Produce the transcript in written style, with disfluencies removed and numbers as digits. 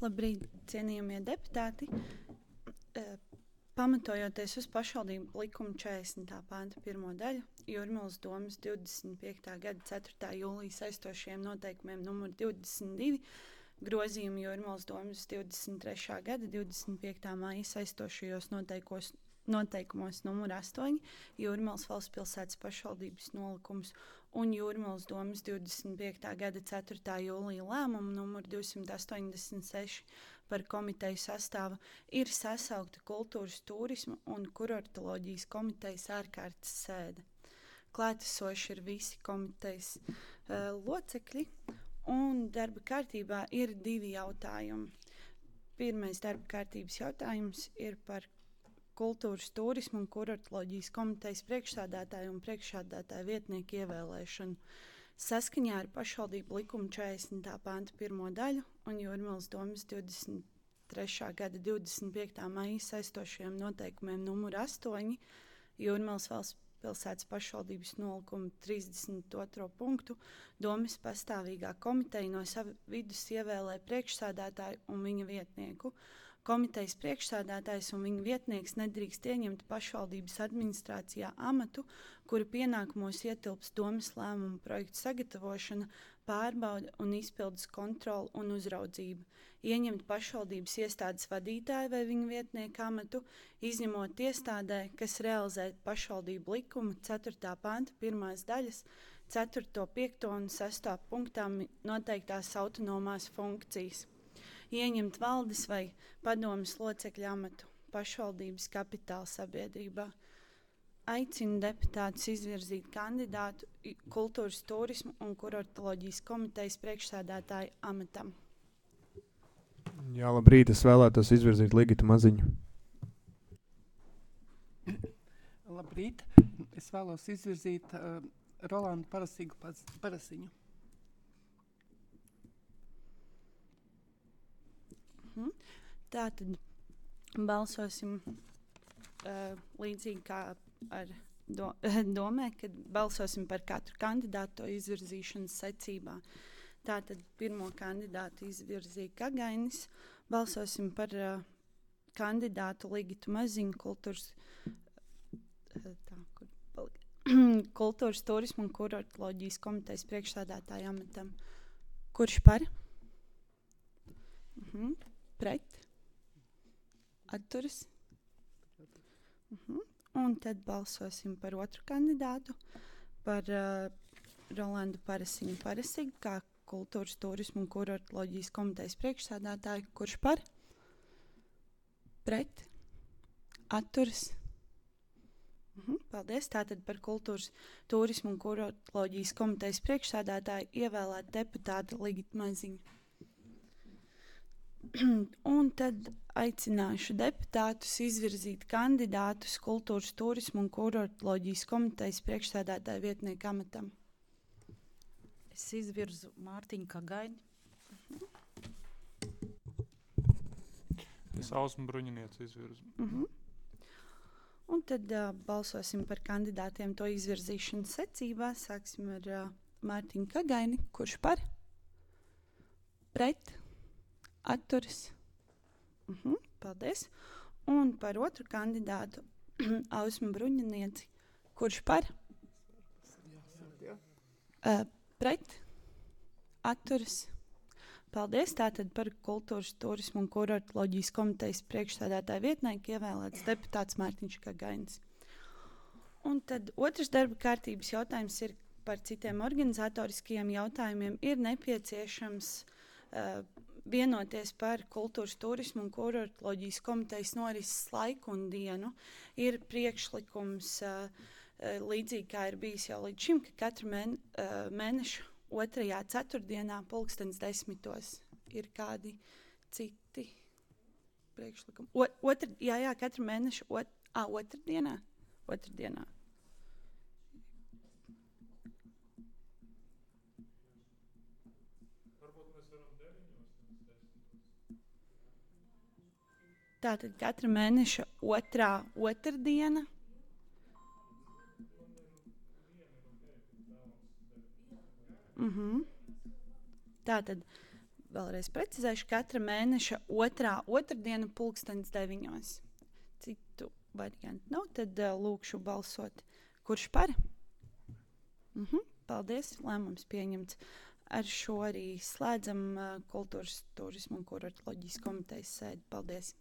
Labrīt, cienījamie deputāti. Pamatojoties uz pašvaldību likuma 40. panta 1. daļu, Jūrmalas domes 25. gada 4. jūlija saistošiem noteikumiem numur 22, grozījumi Jūrmalas domes 23. gada 25. māja saistošajos noteikumos numur 8, Jūrmalas valsts pilsētas pašvaldības nolikums un Jūrmalas domes 25. gada 4. jūlija lēmumu numur 286 par komiteju sastāvu ir sasaukta kultūras, turisma un kurortoloģijas komitejas ārkārtas sēde. Klātesoši ir visi komitejas locekļi, un darba kārtībā ir 2 jautājumi. Pirmais darba kārtības jautājums ir par kultūras, turisma un kurortoloģijas komitejas priekšsēdētāju un priekšsēdētāju vietnieku ievēlēšanu. Saskaņā ar pašvaldību likuma 40. panta 1. daļu un Jūrmalas domes 23. gada 25. maija saistošajiem noteikumiem numur 8, Jūrmalas valsts pilsētas pašvaldības nolikuma 32. punktu, domes pastāvīgā komiteja no sava vidus ievēlē priekšsēdētāju un viņa vietnieku. Komitejas priekšsēdētājs un viņa vietnieks nedrīkst ieņemt pašvaldības administrācijā amatu, kura pienākumos ietilps domes lēmumu projektu sagatavošana, pārbaude un izpildes kontrole un uzraudzība. Ieņemt pašvaldības iestādes vadītāju vai viņa vietnieku amatu, izņemot iestādē, kas realizē pašvaldību likuma 4. panta 1. daļas 4., 5. un 6. punktā noteiktās autonomās funkcijas. Ieņemt valdes vai padomes locekļu amatu pašvaldības kapitāla sabiedrībā. Aicinu deputātus izvirzīt kandidātu kultūras, turisma un kurortoloģijas komitejas priekšsēdētāju amatam. Jā, labrīt, es vēlētos izvirzīt Ligitu Maziņu. Labrīt, es vēlos izvirzīt Rolandu Parasiņu. Tātad balsosim līdzīgi kā ar domē, kad balsosim par katru kandidātu to izvirzīšanas secībā. Tātad pirmo kandidātu izvirzīja Kagainis, balsosim par kandidātu Ligitu Maziņu kultūras, turisma un kurortoloģijas komitejas priekšsēdētāja amatam. Kurš par? Pret? Atturas? Un tad balsosim par otru kandidātu, par Rolandu Parasiņu kā kultūras, turisma un kurortoloģijas komitejas priekšsēdētāju. Kurš par? Pret? Atturas? Paldies. Tātad par kultūras, turisma un kurortoloģijas komitejas priekšsēdētāju ievēlēt deputāta Ligita Maziņa. Un tad aicināšu deputātus izvirzīt kandidātus kultūras, turisma un kurortoloģijas komitejas priekšsēdētāja vietnieka amatam. Es izvirzu Mārtiņu Kagaini. Es Ausmu Bruņinieci izvirzu. Un tad balsosim par kandidātiem to izvirzīšanas secībā. Sāksim ar Mārtiņu Kagaini. Kurš par? Pret? Atturas. Paldies. Un par otru kandidātu Ausmu Bruņinieci. Kurš par? Pret? Atturas. Paldies. Tātad par kultūras, turisma un kurortoloģijas komitejas priekšsēdētāja vietnieku ievēlēts deputāts Mārtiņš Kagainis. Un tad otrs darba kārtības jautājums ir par citiem organizatoriskajiem jautājumiem. Ir nepieciešams vienoties par kultūras, turismu un kurortoloģijas komitejas norises laiku un dienu. Ir priekšlikums, līdzīgi kā ir bijis jau līdz šim, ka katru mēnešu 2. ceturtdienā 10:10 ir kādi citi priekšlikumi. Katru mēnešu otrdienā. Tātad katra mēneša otrdiena. Tātad Vēlreiz precizēšu, katra mēneša otrdiena 9:00. Citu variantu nav, tad lūkšu balsot. Kurš par? Paldies, lēmums pieņemts. Ar šo arī slēdzam kultūras, turismu un kuratoroloģijas komitejas sēdi. Paldies!